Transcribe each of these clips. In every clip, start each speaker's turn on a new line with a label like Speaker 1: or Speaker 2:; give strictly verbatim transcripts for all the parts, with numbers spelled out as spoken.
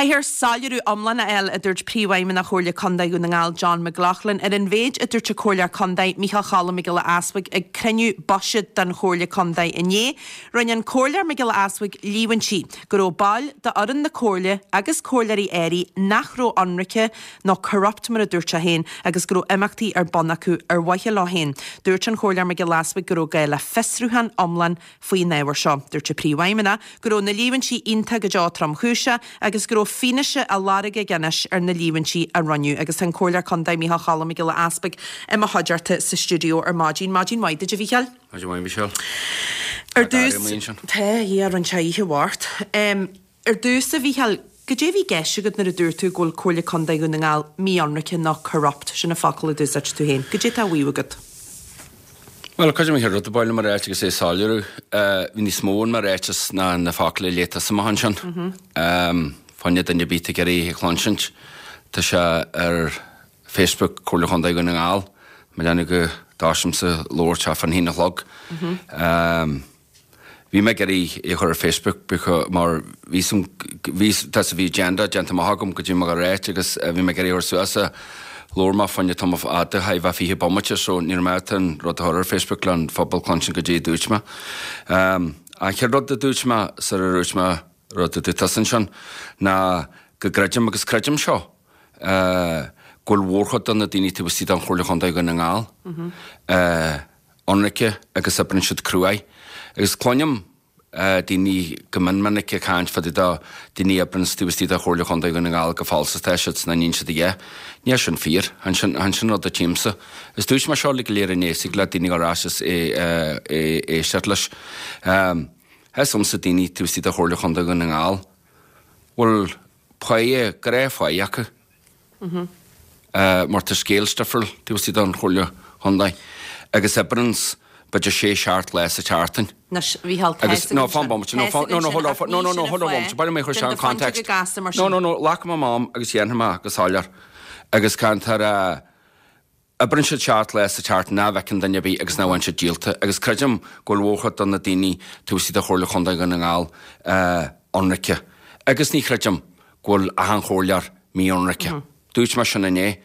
Speaker 1: Caithfear soiléiriú iomlán a fháil, a dúirt Príomhfheidhmeannach Chomhairle Contae Dhún na nGall John McLaughlin ar an mhéid a dúirt an Comhairleoir Contae Micheál Cholm Mac Giolla Easbuig ag cruinniú buiséid den Chomhairle Contae inné. Rinne an Comhairleoir Mac Giolla Easbuig líomhaintí go raibh baill d'fhoireann na Comhairle agus comhairleoirí áirithe nach raibh ionraice nó corrupt mar a dúirt sé féin agus go raibh imeachtaí ar bun acu ar mhaithe leo féin. Dúirt an Comhairleoir Mac Giolla Easbuig go raibh gá le fiosrúchán iomlán faoin ábhar seo. Dúirt an Príomhfheidhmeannach go raibh na líomhaintí iontach go deo tromchúiseach agus go raibh fianaise á lorg aige anois ar na líomhaintí a rinneadh agus tá an Comhairleoir Contae Micheál Cholm Mac Giolla Easbuig i mo chuideachta sa stiúideo ar maidin. Maidin mhaith duit, a Mhícheáil.
Speaker 2: Maidin mhaith, Michelle.
Speaker 1: Ar dtús Tá é rinne sé oíche mhart. Ar dtús, a Mhícheáil, goidé a bhí i gceist agat nuair a dúirt tú go bhfuil Comhairle Contae Dhún na nGall mí-ionraice nó corrupt, sin na focail a d'úsáid tú féin. Goidé tá á mhaíomh agat.
Speaker 2: Well, cuid mé rud baile mar ráit agus é soiléiriú, bhí níos mó in mo ráiteas ná na focail a léigh tusa amach ansin. Fá choinne duine ar bith ag iarraidh a chluinsint. Tá sé ar Facebook Comhairle Chontae Dhún na nGall, má leanadh go dtáisimse labhairt fán haon a chlog. Bhí mé ag iarraidh é a chur ar Facebook mar bhí bhí tá bhí agenda déanta amach agam go dtí mo ráit agus bhí mé ag iarraidh a chur suas a labhair mé fá choinne tamall fada a bheith fiche bomaite so ní raibh mé an rud a chur ar Facebook le an phobal cluinstin goidé a dúirt mé. An chéad rud a dúirt mé sar a dúirt mé rud a dúirt tusa ansin ná go gcreidim agus creidim seo go bhfuil mórchuid de na daoine taobh istigh den Chomhairle Chontae Dhún na nGall ionraice agus oibríonn siad cruaidh. Agus cluinim daoine go mion minic ag caint fá dtaobh de daoine a oibríonn taobh istigh de Chomhairle Chontae Dhún na nGall go falsa atá siad sna níonn siad a dhath. Níl sin fíor, chan sin chan sin rud a tchímse. Is dúirt mé seo le go léir inné sig le daoine ar ais is é éisteacht leis. Is ionsa daoine taobh istigh de Chomhairle Chontae Dhún na nGall bhfuil páighe gnáthpháighe acu. Mar tá scéal difriúil taobh istigh den Chomhairle Chontae agus oibríonn b'fhéidir sé seacht lá sa tseachtain.
Speaker 1: Anois, Mhícheál, tá
Speaker 2: Agus no fan bomaite, no fan, no no hold on, no no no hold on bomaite, ba mé chur sé an context. No no no, glacfaidh mé m'am agus dhéanfaidh mé go soiléir. Agus cantar oibríonn siad seacht lá sa tseachtain nach bhfeiceann duine ar bith agus nach bhfaigheann siad díolta. Agus creidim go bhfuil mórchuid de na daoine taobh istigh de Chomhairle Chontae Dhún na nGall ionraice. Agus ní chreidim go bhfuil achan chomhairleoir mí-ionraice. Dúirt mé sin inné.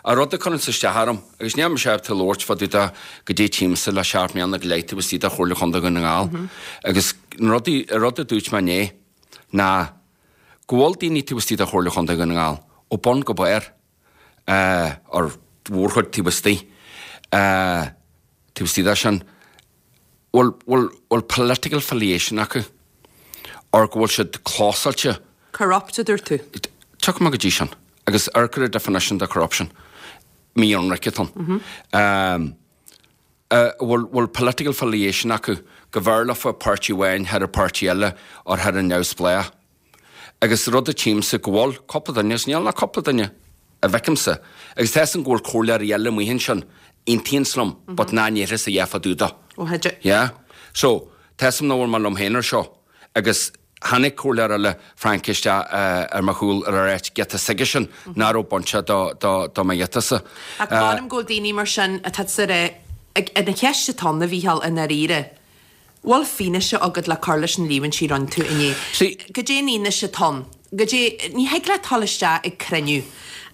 Speaker 2: A rud a chuireann isteach orm, agus níl mise ábalta labhairt fá dtaobh de goidé tchímse le seacht mbliana go leith taobh istigh de Chomhairle Chontae Dhún na nGall. Agus an rudaí, an rud a dúirt mé inné ná go bhfuil daoine taobh istigh de Chomhairle Chontae Dhún na nGall ó bun go barr, ar mhórchuid taobh istigh, taobh istigh de sin, bhfuil, bhfuil, bhfuil political affiliation acu, or go bhfuil siad clósáilte.
Speaker 1: Corrupt, a dúirt tú.
Speaker 2: Tiocfaidh mé go dtí sin. Agus ar cuireadh definition de corruption, mí-ionraice atá ann. Bhfuil bhfuil political affiliation acu go bhfearr leofa páirtí amháin thar an páirtí eile or thar an neamhspleách. Agus rud a tchímse go bhfuil cúpla duine, agus níl ach cúpla duine a bhfeicimse, agus tá fhios agam go bhfuil comhairleoirí eile amuigh ansin, aontaíonn liom, but ná ndéarfas a dhath fá dtaobh de.
Speaker 1: Ó théid.
Speaker 2: Yeah. So, tá fhios agam nach bhfuil mé liom féin ar seo, agus tháinig comhairleoir eile Frank isteach ar mo chúl ar ar áit giota s'aige sin nach raibh bainteach do do do mo ghiotasa.
Speaker 1: Ach m'anam go bhfuil daoine mar sin atá sa ré ag an cheist atá ann, a Mhícheáil, i ndáiríre. Bhfuil fianaise agat le cur leis na líomhaintí a rinne tú inné?
Speaker 2: See.
Speaker 1: Goidé an fhianaise atá ann? Goidé, ní thig leat dul isteach ag cruinniú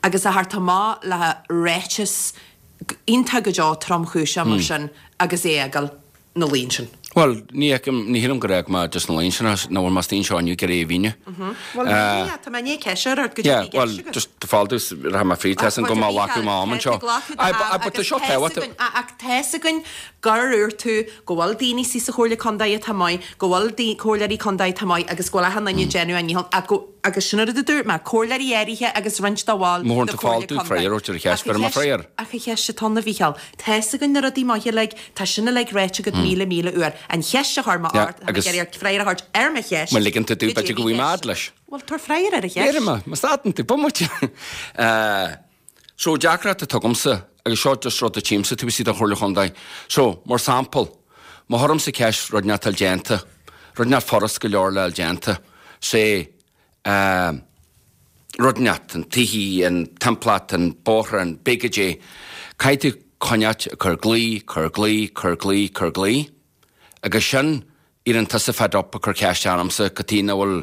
Speaker 1: agus a theacht amach le ráiteas iontach go deo tromchúiseach mar sin agus é a fhágáil ina luí ansin.
Speaker 2: Bhuel, ní fheicim, ní shílim gur fhág mé just ina luí ansin, nach bhfuil mé istigh anseo inniu ag iarraidh a mhíniú.
Speaker 1: Bhuel, ní hea, tá mé i ndiaidh ceist a chur ort, goidé
Speaker 2: Yeah,
Speaker 1: a bhí i
Speaker 2: well,
Speaker 1: gceist agat?
Speaker 2: just tá fáil domh, rachaidh mé fríd, tá fhios agam go mbeidh glacadh m'am anseo. Aye, but, aye, but tá seo tábhachtach.
Speaker 1: Ach tá fhios againn gur dhúirt tú go bhfuil daoine sa Chomhairle Contae atá maith, go bhfuil comhairleoirí contae atá maith agus go bhfuil achan duine ag déanamh a ndícheall ach go, agus sin an rud a dúirt mé, comhairleoirí áirithe agus roinnt de bhaill
Speaker 2: Má
Speaker 1: na
Speaker 2: thugann tú fáil
Speaker 1: Comhairle
Speaker 2: domh
Speaker 1: Contae.
Speaker 2: freagra ar an cheist,
Speaker 1: Ach an
Speaker 2: cuirfidh mé
Speaker 1: cheist,
Speaker 2: freagra.
Speaker 1: ach an cheist atá ann, a Mhícheáil, tá fhios againn na rudaí maithe uilig, tá sin uilig ráite agat míle míle uair. An cheist a chuir mé
Speaker 2: Yeah,
Speaker 1: ort, tá mé
Speaker 2: agus
Speaker 1: ag iarraidh ort freagra a thabhairt ar mo cheist.
Speaker 2: Má ligeann tú domh,
Speaker 1: Goidé
Speaker 2: b'fhéidir
Speaker 1: a
Speaker 2: go
Speaker 1: bhí i
Speaker 2: bhfaighidh mé
Speaker 1: gceist
Speaker 2: fhad leis.
Speaker 1: Bhuel, tabhair freagra ar an cheist.
Speaker 2: Déarfaidh mé, má stadann tú, bomaite. So, deacracht atá agamsa, agus seo just rud a tchímse taobh istigh den Chomhairle Chontae. So, mar sample, má chuirimse ceist rud nach bhfuil déanta, rud nach furast go leor le fháil déanta, sé, rud inteacht, an tithí, an timpeallacht, an bóthar, an big goidé, caithfidh tú coinneáilt ag cur glao, cur glao, cur glao, cur glao, agus sin Éiríonn tusa fed up ag cur ceist ormsa cad chuige nach bhfuil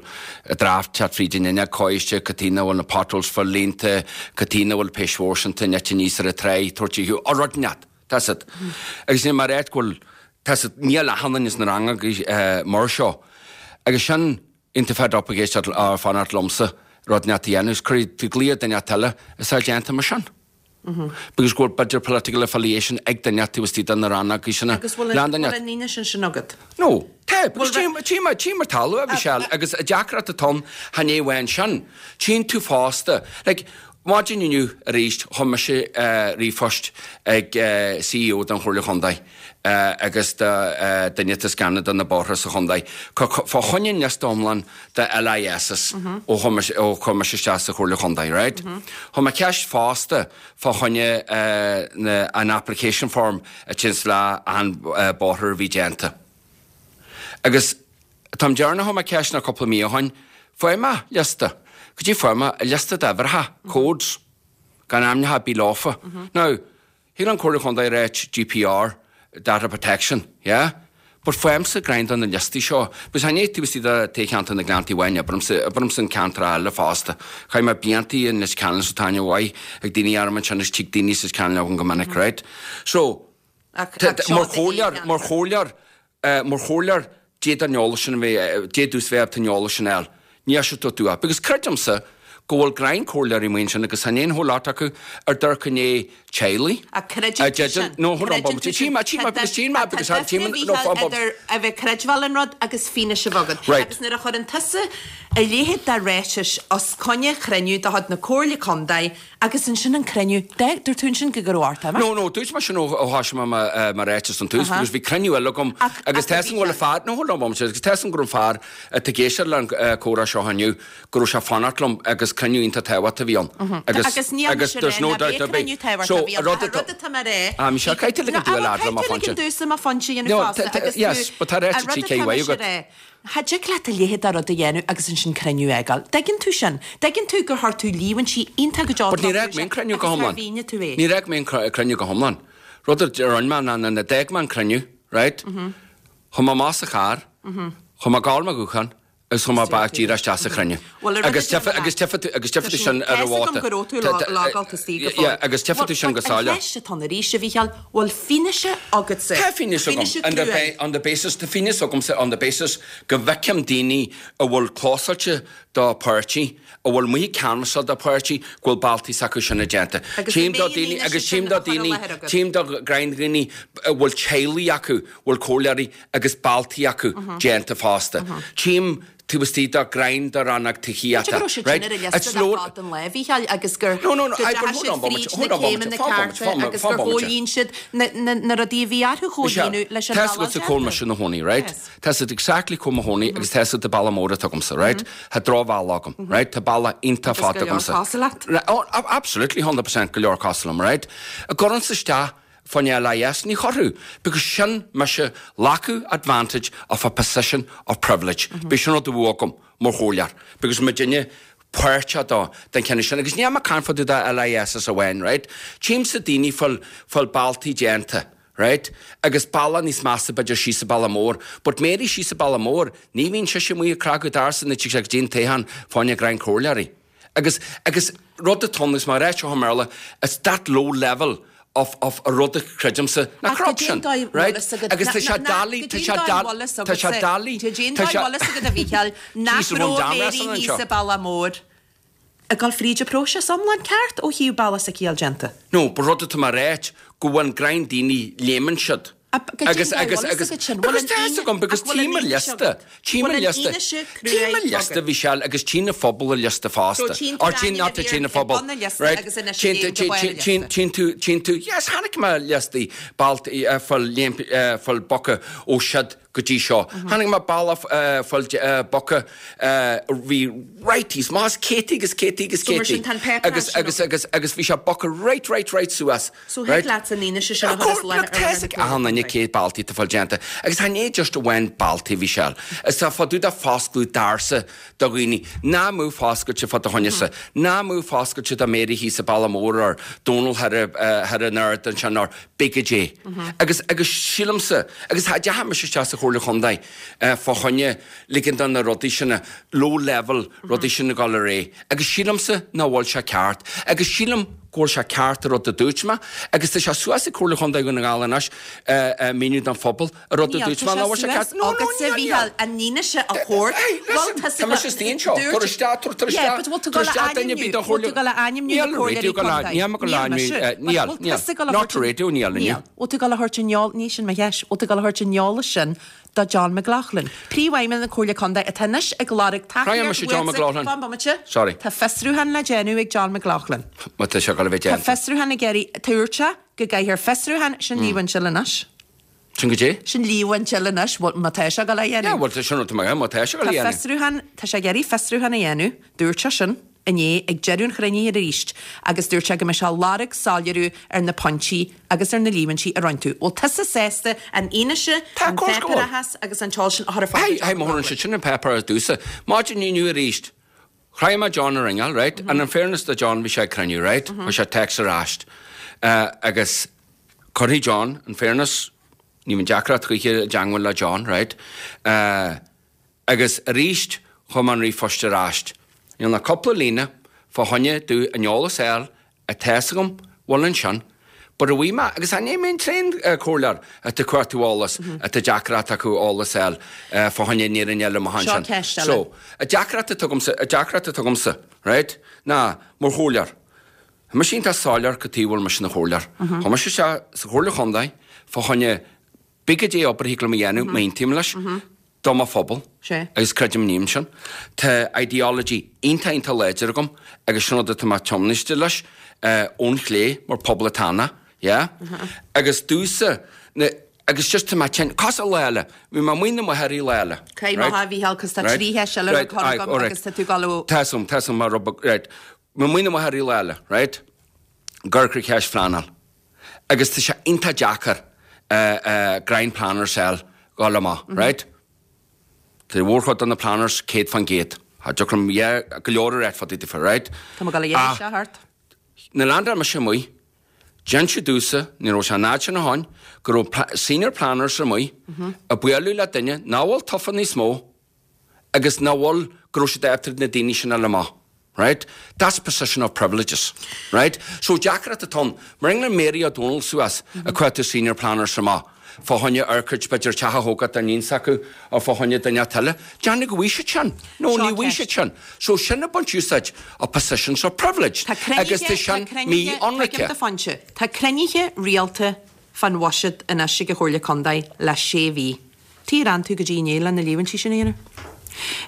Speaker 2: draft teacht fríd an fhuinneog coiste, cad chuige nach bhfuil na potholes fuil líonta, cad chuige nach bhfuil péis mhórsanta nite aníos ar an tráigh, tabhairt a or rud inteacht. Tá siad. Agus níl mar áit go bhfuil tá siad níl achan duine sna ranganna mar seo. Agus sin iontu fed up ag éisteacht fanacht liomsa rud inteacht a dhéanamh, is cuirfidh tú glao ar duine eile is é déanta mar sin. Because go bhfuil b'fhéidir political affiliation ag duine taobh istigh de na rannogaí sin.
Speaker 1: Agus bhfuil an bhfuil an fhianaise sin sin agat?
Speaker 2: No, tá, because tím tím tím mar talamh a bhí sé agus a deacracht atá ann chan é amháin sin. Tchíonn tú fosta, like, maidin inniu arís chuir mise ríomhphost ag C E O den Chomhairle Chontae agus do duine atá ag scanadh do na bóithre sa chontae fá choinne an liosta iomlán de L I Ss ó ó chuir mise isteach sa Chomhairle Chontae, right? Chuir mé ceist fosta fá choinne an application form a tins le an bóthar a bhí déanta. Agus táim deireanach chuir mé ceist na cúpla mí ó shin, fuair mé liosta. Go dtí fuair mé liosta d'uimhreacha, codes, gan ainmneacha ar bith leofa. Now, thig an Comhairle Chontae ráit G D P R, data protection, yeah? But fuaimse greim do na liostaí seo. Because chan é taobh istigh de toghcheantar na nGleanntaí amháin, oibrimse oibrimse an ceantar eile fosta. Chaith mé bliantaí in Leitir Ceanainn so tá aithne mhaith ag daoine orm ansin agus tig daoine sa Ceanainn agam go minic, right? So, mar chomhairleoir, mar chomhairleoir, mar chomhairleoir, d'fhéadfadh an eolas sin a bheith, d'fhéadfadh bheith an eolas sin a fháil. Ní sé tú tú. Because creidimse go bhfuil greim comhairleoirí amuigh ansin agus chan aon whole lot acu ar dúirt go ndéidh teaghlaigh.
Speaker 1: A creideann tú sin?
Speaker 2: No, hold on, bomaite. Tí mé, tí mé, because tí mé, because tá tí mé, no, fan bomaite.
Speaker 1: Idir a bheith creidbheáil an rud agus fianaise a bheith agat.
Speaker 2: Right.
Speaker 1: Agus nuair a chuireann tusa a leithéid de ráitis os coinne chruinniú de chuid na Comhairle Contae agus ansin an cruinniú, dúirt tú ansin go raibh ort,
Speaker 2: No, no, dúirt mé sin ó ó thosaigh mé mo ráiteas an tús, because bhí cruinniú eile agam agus tá fhios agam go bhfuil an fear, no, hold on bomaite, agus tá fhios agam go raibh an fear atá ag éisteacht le an comhrá seo inniu, go raibh sé ag fanacht liom agus cruinniú iontach tábhachtach a bhí ann.
Speaker 1: Agus agus níl mise
Speaker 2: there's no doubt ar bith.
Speaker 1: So, a rud atá mé rá.
Speaker 2: Ah, Michelle, caithfidh tú ligean domh a lead le mo phointe.
Speaker 1: Caithfidh tú ligean domhsa mo phointe a dhéanamh fosta agus tú.
Speaker 2: Yes, but tá ráite trí cé uaidh agat.
Speaker 1: Cha dtig leat a leithéid de rud a dhéanamh agus ansin cruinniú a fhágáil. Dtuigeann tú sin? Dtuigeann tú gur chuir tú líomhaintí iontach go deo
Speaker 2: But ní raibh mé an cruinniú go hiomlán.
Speaker 1: Agus tú é.
Speaker 2: Ní raibh mé an cruinniú go hiomlán. Rud a rinne mé ná nuair a d'fhág mé an cruinniú, right? Chuaigh mé amach sa charr, chuaigh mé ag gabháil mo ghuthán, agus chuaigh mé back díreach isteach sa chruinniú. Agus tchífidh agus tchífidh tú agus tchífidh tú sin ar an mhóta.
Speaker 1: Go raibh tú logáilte istigh go fóill.
Speaker 2: Yeah, agus tchífidh tú sin go soiléir.
Speaker 1: An cheist atá ann arís, a Mhícheáil, bhfuil fianaise agatsa?
Speaker 2: Tá fianaise agam. On the, on the basis, tá fianaise agamsa on the basis go bhfeicim daoine a bhfuil clósáilte do páirtí, a bhfuil amuigh ag canbhasáil do páirtí, go bhfuil bealtaí s'acu sin a déanta. Tchím do daoine agus tchím do daoine, tchím do greim daoine a bhfuil teaghlaigh acu, bhfuil comhairleoirí agus bealtaí acu déanta fosta. Tchím taobh istigh de greim de rannóg tithíochta.
Speaker 1: Go raibh siad sin ar a liosta le fad an lae, a Mhícheáil, agus gur
Speaker 2: No, no, no,
Speaker 1: go ndeachaigh siad fríd na céimeanna cearta agus gur chomhlíon siad na rudaí a bhí orthu chomhlíonadh leis an
Speaker 2: Tá fhios agatsa cá bhfuil mise i mo chónaí, right? Tá fhios agat exactly cá bhfuil mo chónaí agus tá fhios agat an bealach mór atá agamsa, right? Tá drochbhealach agam, right? Tá bealach iontach fada agamsa.
Speaker 1: Agus go leor cosúil leat.
Speaker 2: Oh, absolutely, hundred percent go leor cosúil liom, right? An gcuirfinnse isteach fán L I S ní chuirfeadh, because sin mise glacadh advantage of a position of privilege. B'é sin rud a bhí agam mar chomhairleoir, because mo duine páirteach dó den cheann sin, agus ní am caint fá dtaobh de L I S amháin, right? Tchímse daoine fuil fuil bealtaí déanta, right? Agus bealach níos measa b'fhéidir síos sa Baile Mór, but Mary síos sa Baile Mór, ní bhíonn sise amuigh ag cnagadh doirse na tigh sé go dtí an toghchán fá choinne greim comhairleoirí. Agus agus rud atá ann, agus mar a rá seo i mBéarla, it's that low level of of a rud a chreidimse na corruption, right? Agus tá sé doiligh, tá sé doiligh, tá sé doiligh,
Speaker 1: tá sé agat a Mhícheáil nach raibh Mary thíos sa Baile Mór ag dul fríd an próiseas iomlán ceart ó thaobh bealach s'aici a fháil déanta.
Speaker 2: No, ba rud atá mar ráit go bhfuil an greim daoine léimeann siad.
Speaker 1: Agus
Speaker 2: agus agus because tá fhios agam because tchím an liosta, tchím an liosta, tchím an liosta bhí sé agus tchí na phobal an liosta fosta. Or tchí not tchí na phobal, right? Tchíonn tchíonn tú tchíonn tú yes chonaic mé liostaí bealtaí fuil fuil bogtha ó siad go dtí seo. Chonaic mé bealach fuil bogtha bhí right thíos más céataí agus céataí agus céataí agus agus agus agus bhí sé bogtha right right right suas.
Speaker 1: So thig leat an fhianaise sin a chur as láthair
Speaker 2: Tá fhios ag achan duine cé bealtaí atá fuil déanta. Agus chan é just amháin bealtaí bhí sé. Is tá fá dtaobh de foscladh doirse do dhaoine. Ná mú foscailte fá do choinne-sa. Ná mú foscailte do Mary thíos sa Baile Mór or Donal thar thar an ard ansin or big J. Agus agus sílimse agus deacha mise isteach sa Chomhairle Chontae fá choinne ligean do na rudaí sin, low level rudaí sin a dhul ar aghaidh. Agus sílimse nach bhfuil sé ceart. Agus sílim go bhfuil sé ceart an rud a dúirt mé agus tá sé suas ag Comhairle Chontae Dhún na nGall anois míniú don phobal an rud a dúirt mé nach bhfuil sé ceart. No, no, níl, níl.
Speaker 1: An fhianaise a thabhairt.
Speaker 2: Hey, listen, tá mise istigh anseo. Tar isteach, tar isteach, tar isteach duine ar bith don Chomhairle. Níl radio go lá, níl mé go lá, níl, níl. Not radio, níl inniu.
Speaker 1: Bhfuil tú ag dul a thabhairt an eol, ní sin mo cheist, bhfuil tú ag dul a thabhairt an eolas sin do John McLaughlin, Príomhfheidhmeannach na Comhairle Contae atá anois ag lorg
Speaker 2: tacaíocht
Speaker 1: uaitse.
Speaker 2: John McLaughlin.
Speaker 1: Fan bomaite.
Speaker 2: Sorry.
Speaker 1: Tá fiosrúchán le déanamh ag John McLaughlin.
Speaker 2: Má tá sé ag dul a bheith
Speaker 1: Tá
Speaker 2: déanta.
Speaker 1: fiosrúchán ag iarraidh, dúirt sé go gcaithfear fiosrúchán, sin líomhain eile anois.
Speaker 2: Sin go dté?
Speaker 1: Sin líomhain eile anois, bhuel, má tá sé ag dul a
Speaker 2: dhéanamh. Yeah, bhuel, tá sin rud maith, má tá sé ag dul a
Speaker 1: Tá
Speaker 2: dhéanamh.
Speaker 1: fiosrúchán, tá sé ag iarraidh fiosrúchán a dhéanamh, dúirt sé sin. inné ag deireadh an chruinnithe arís agus dúirt sé go mbeidh sé ag lorg soiléiriú ar na pointí agus ar na líomhaintí a rinne tú. Bhfuil tusa sásta an fhianaise,
Speaker 2: Tá,
Speaker 1: an
Speaker 2: of course go bhfuil.
Speaker 1: páipéarachas agus an t-eolas sin a chur ar fáil
Speaker 2: Hey,
Speaker 1: do
Speaker 2: hey, má thugann siad sin an páipéar ar dtús. Maidin inniu arís. Chroith mé John a ringeáil, right? And in fairness do John bhí sé ag cruinniú, right? Chuir sé text ar ais. Uh, agus cuirfidh John, in fairness, ní bhíonn deacracht choíche i dteagmháil le John, right? Uh, agus arís chuir mé an ríomhphost ar ais. Níl ach cúpla líne fá choinne domh an eolas a fháil atá agam bhfuil ansin, but a bhí mé, agus ní mé an t-aon comhairleoir atá ag cuartú eolas, atá deacracht acu eolas a fháil fá choinne an fhírinne eile amach
Speaker 1: Seo
Speaker 2: ansin.
Speaker 1: ceist eile.
Speaker 2: So, a deacracht atá agamsa, a deacracht atá agamsa, right, ná mar chomhairleoir. Tá mise iontach soiléir cad chuige bhfuil mise ina chomhairleoir. Tá mise isteach sa Chomhairle Chontae fá choinne pé cad é obair a thig liom a dhéanamh, má aontaím leis, do mo phobal.
Speaker 1: Sé.
Speaker 2: Agus creidim ním sin. Tá ideology iontach iontach láidir agam agus sin rud atá mé tiomnaiste leis eh, ón chlé mar poblachtánach, yeah? Agus domhsa, na, agus just tá mé tinn, cos a léile, bhí mé amuigh na máthair léile.
Speaker 1: Cé má a Mhícheáil, cos tá trí cheist eile le cur agam agus tá tú ag dul ó-
Speaker 2: Tá sum, tá sum mar rub, right. Mé amuigh na máthair léile, right? Gur ceist phleanáil. Agus tá sé iontach deacair uh, uh, grind planners a fháil dhul amach, right? Tá mórchuid de na planners céad faoin gcéad. Tá deocram go leor ar fad iad right?
Speaker 1: Tá mé ag dul a dhéanamh seo thart.
Speaker 2: Na landar me sé mui, Dein sé dúsa, ní raibh sé an áit sin a tháin, go raibh pla- senior planners amuigh, ag bualadh le duine nach bhfuil tofa níos mó, agus nach bhfuil go raibh siad after na daoine sin eile amach. Right? That's position of privileges. Right? So deacracht atá ann, mar rinne Mary O'Donnell suas ag cuartú senior planners amach. Fá choinne orchid b'fhéidir teach a thógáil don iníon s'acu ó fá choinne duine eile. Déanamh go bhfuil siad sin. No,
Speaker 1: Seo
Speaker 2: ní bhfuil
Speaker 1: ceist.
Speaker 2: siad sin. So sin a baint úsáid of positions of privilege.
Speaker 1: Tá
Speaker 2: Agus tá sin mí ionraice.
Speaker 1: Tá fáinse. Tá cruinnithe rialta fan bhuiséad anois ag an Chomhairle Contae le sé mhí. Tí ran tú go dtí inné le na líomhaintí sin a dhéanamh?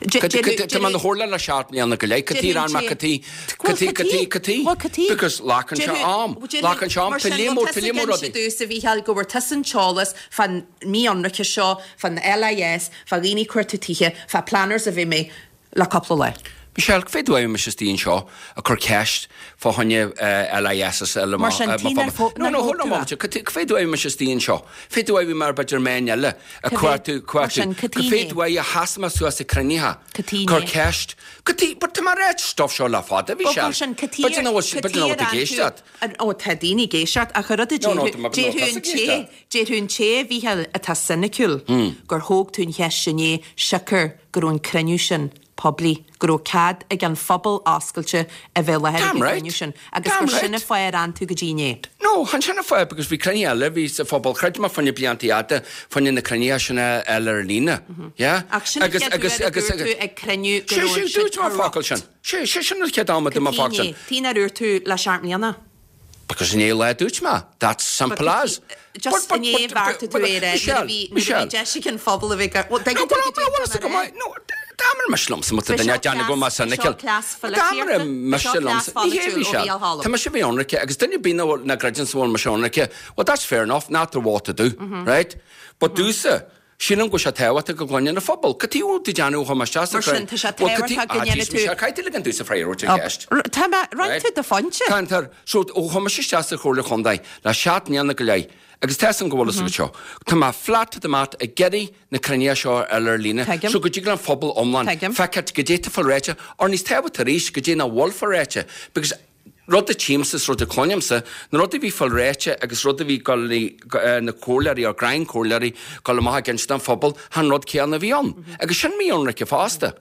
Speaker 2: Tá man hórla le seacht mbliana go leith, cad chuige ar mé cad chuige cad chuige cad chuige cad chuige
Speaker 1: Well, cad chuige.
Speaker 2: Because glacann sé am glacann sé am tá líon tá líon rudaí.
Speaker 1: Dús a Mhícheáil go bhfuair tusa an t-eolas fan mí-ionraice seo, fan LIS, fa dhaoine cuartú tithe, fa planners a bhí mé le cúpla lá.
Speaker 2: Michelle, fé dúim mis is seo a chur ceist fá choinne LIS is eile
Speaker 1: Mar sin, tí nár fó-
Speaker 2: No,
Speaker 1: nár
Speaker 2: no,
Speaker 1: thóg
Speaker 2: hold on
Speaker 1: tú
Speaker 2: moment. Cad chuige mis is seo. Fé dúim mar b'fhéidir mé eile a
Speaker 1: Cad é-
Speaker 2: cuartú
Speaker 1: mar
Speaker 2: cuartú.
Speaker 1: sin, cad
Speaker 2: Cad
Speaker 1: tí
Speaker 2: fé
Speaker 1: né?
Speaker 2: dúim a hasma suas a cruinnithe.
Speaker 1: Cad tí
Speaker 2: Cur
Speaker 1: né?
Speaker 2: ceist. Cad tí, but tá mar réit stuff seo le fada bhí
Speaker 1: Well,
Speaker 2: sé.
Speaker 1: mar sin, cad tí
Speaker 2: B'fhéidir nach bhfuil- b'fhéidir nach bhfuil tú ag éisteacht.
Speaker 1: Ó tá daoine ag éisteacht ach rud
Speaker 2: No, no, tá mé- no, tá ag éisteacht.
Speaker 1: Déarfadh an té a Mhícheáil atá soiniciúil gur thóg tú an cheist sin é siocair go raibh an cruinniú sin poiblí, go raibh cead ag an phobal oscailte a bheith le
Speaker 2: Damn right.
Speaker 1: cruinniú sin, agus
Speaker 2: Damn
Speaker 1: gur sin
Speaker 2: right.
Speaker 1: an fáth ar fhan tú go dtí inné.
Speaker 2: No, chan sin an fáth because bhí cruinnithe eile bhí sa phobal chreid má fá choinne blianta fhada fá choinne na cruinnithe sin eile ar líne. Yeah?
Speaker 1: Ach sin
Speaker 2: Agus agus agus
Speaker 1: tú ag cruinniú go
Speaker 2: Sé
Speaker 1: raibh
Speaker 2: sé
Speaker 1: siad
Speaker 2: dúirt mar focal sin. Sé sé sin an chéad am a dúirt mé focal sin.
Speaker 1: Tí ar úir tú le seacht mbliana.
Speaker 2: Because inné le dúirt mé. That's simple as.
Speaker 1: Just inné bheartaigh tú é
Speaker 2: Michelle,
Speaker 1: Michelle. Deis an phobal a bheith
Speaker 2: No, but no, well, go maith. No, dámar me slum sa duine deanna go mar san
Speaker 1: Seo cleas
Speaker 2: Dámar me slum Ní hé Michelle. Tá me se bhí ionraice agus duine bí na greideann bhfuil me ionraice. Well, that's fair enough, not the what to do, right? But domhsa, sílim go sé tábhachtach go gcluinfeadh an phobal. Cad chuige tú déanamh chomh maith
Speaker 1: Mar sin, tá sé tábhachtach go ndéanfaidh tú-
Speaker 2: Caithfidh le an domhsa freagairt an cheist.
Speaker 1: Tá mé roinn tú do phointe.
Speaker 2: Cantar, so ó chum isteach sa Chomhairle Chontae le seacht mbliana go leith, agus tá go bhfuil seo. Tá mé flat to the mat ag iarraidh na cruinnithe seo ar ar líne,
Speaker 1: Tuigim.
Speaker 2: so go dtig an phobal iomlán
Speaker 1: Tuigim.
Speaker 2: feiceáil cad é atá fáil réite, or níos tábhachtaí arís cad é nach bhfuil fáil réite, because Rud a tchímse is rud a chluinimse, na rudaí a bhí fáil ráite agus rud a bhí dul na comhairleoirí or greim comhairleoirí dul amach ag inse don phobal, chan rud céanna a bhí ann. Agus sin mí-ionraice fosta.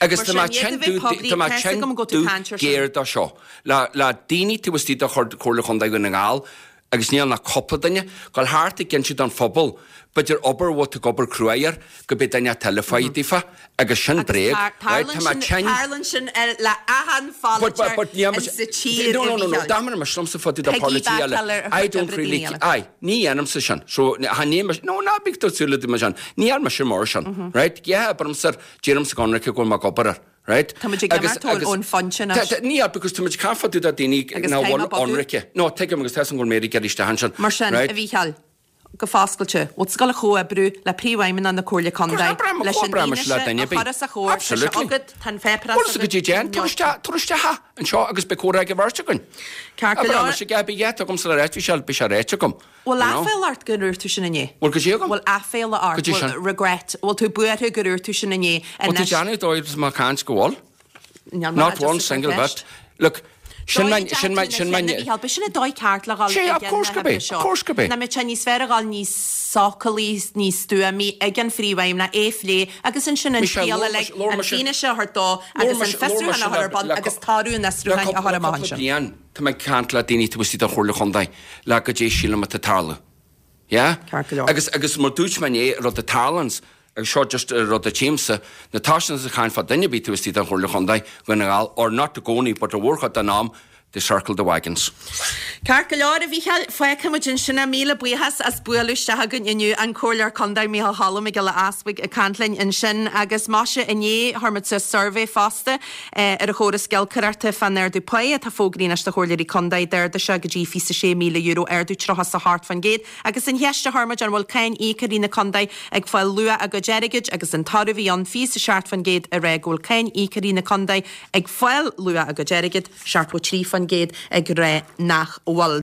Speaker 2: Agus tá mé tinn dubh, tá mé tinn dubh géar dó seo. Le le daoine taobh istigh de Chomhairle Chontae Dhún na nGall, agus níl ach cúpla duine, dul thart ag inse don phobal, b'fhéidir obair a bhfuil tú ag obair cruaidh air, go b'é duine eile ag fáil daofa, agus sin bréag. Right, tá mé tinn.
Speaker 1: Tarlaíonn sin le achan pholaiteoir sa tír,
Speaker 2: No, no, no, no, dá mbeadh mise liomsa fá dtaobh de polaiteoirí eile, I don't really, aye, ní dhéanaimse sin, so, cha ní mise, no, ná bíodh tú ag súil le duine sin, ní dhearna mise mar sin, right, yeah, abraimse, deirimse go hionraice go bhfuil mé ag obair air. Right?
Speaker 1: Tá muid ag imirt ón phointe
Speaker 2: anois. Ní hea, because tá muid ag caint fá dtaobh de daoine nach bhfuil ionraice. No, tuigim agus tá 'fhios agam go bhfuil Mary ag iarraidh isteach ansin.
Speaker 1: Mar sin, a Mhícheáil, go foscailte, bhfuil tú ag dul a chomhoibriú le Príomhfheidhmeannach na Comhairle Contae leis an fhianaise a chur os a chomhair, tá sé agat, tá an pháipéarachas
Speaker 2: agat. Bhuel, go dtí déan, tabhair isteach, tabhair isteach é anseo agus beidh comhrá ag an bheirt againn.
Speaker 1: Ceart go leor.
Speaker 2: Abraim, mise, beidh gheit agamsa le ráit, bhí sé, beidh sé ráite agam.
Speaker 1: Bhfuil aiféala ort gur dhúirt tú sin inné?
Speaker 2: Bhfuil goidé agam?
Speaker 1: Bhfuil aiféala ort?
Speaker 2: Goidé sin?
Speaker 1: Bhfuil regret? Bhfuil tú buartha gur dhúirt tú sin inné?
Speaker 2: Bhfuil tú déanamh dóigh is má caint go bhfuil?
Speaker 1: Níl mé
Speaker 2: Not one single bit. Look, sin my, sin my, sin my.
Speaker 1: Micheál, b'shin an dóigh ceart le dhul
Speaker 2: Sé, of course gurb é, of course gurb é.
Speaker 1: Nach mbeadh sé níos fearr a dhul níos socalaí, níos stuamaí ag an phríomhfheidhmeannach, é a phlé agus ansin an scéal uilig, an fianaise a thabhairt dó agus an fiosrúchán a chur ar bun agus toradh an fhiosrúcháin a chur amach ansin.
Speaker 2: Le cúpla bliain, Tá mé ag caint le daoine taobh istigh den Chomhairle Chontae le goidé sílim atá ag tarlú. Yeah?
Speaker 1: Ceart go leor.
Speaker 2: Agus, agus mar dúirt mé inné, rud a tarlaíonns, agus seo just rud a tchímse, nuair atá siad ag caint fá duine ar bith taobh istigh den Chomhairle Chontae, Dhún na nGall, or not i gcónaí, but a mhórchuid den am, they circle the wagons.
Speaker 1: Ceart go leor, a Mhícheáil, fágfaidh muid ansin é. Míle buíochas as bualadh isteach againn inniu. An Comhairleoir Contae Micheál Choilm Mac Giolla Easbuig ag caint linn ansin agus maise inné chuir muid suas suirbhé fosta ar an chóras giolcaireachta fán ardú páí atá fógraithe anois do chomhairleoirí contae. D'ardaigh sé go dtí fiche sé míle euro, ardú tríocha is a hocht faoin gcéad. Agus an cheist a chuir muid, an bhfuil cáin íocóirí na contae ag fáil luach a gcuid airgid agus an toradh a bhí ann, fiche is a seacht faoin gcéad ag rá go bhfuil cáin íocóirí na contae ag fáil luach a gcuid airgid, seachtó trí faoin gcéad ag rá nach bhfuil.